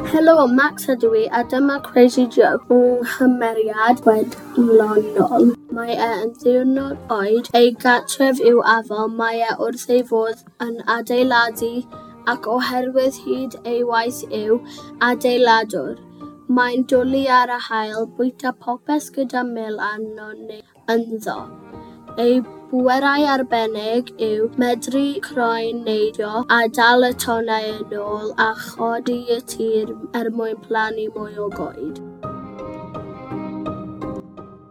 Helo, Max ydw i, a dyma Crazy Joe, nghymeriad chwedlonol. Mae e yn ddiwrnod oed, ei gartref yw afon, mae e wrth ei fodd yn adeiladu ac oherwydd hyd ei waith yw adeiladwr. Mae'n dwlu ar y haul, bwyta popeth gyda mel arno neu ynddo. Ei bwerau arbennig yw medru croen neidio a dal y tonnau yn ôl a chodi y tir er mwyn plannu mwy o goed.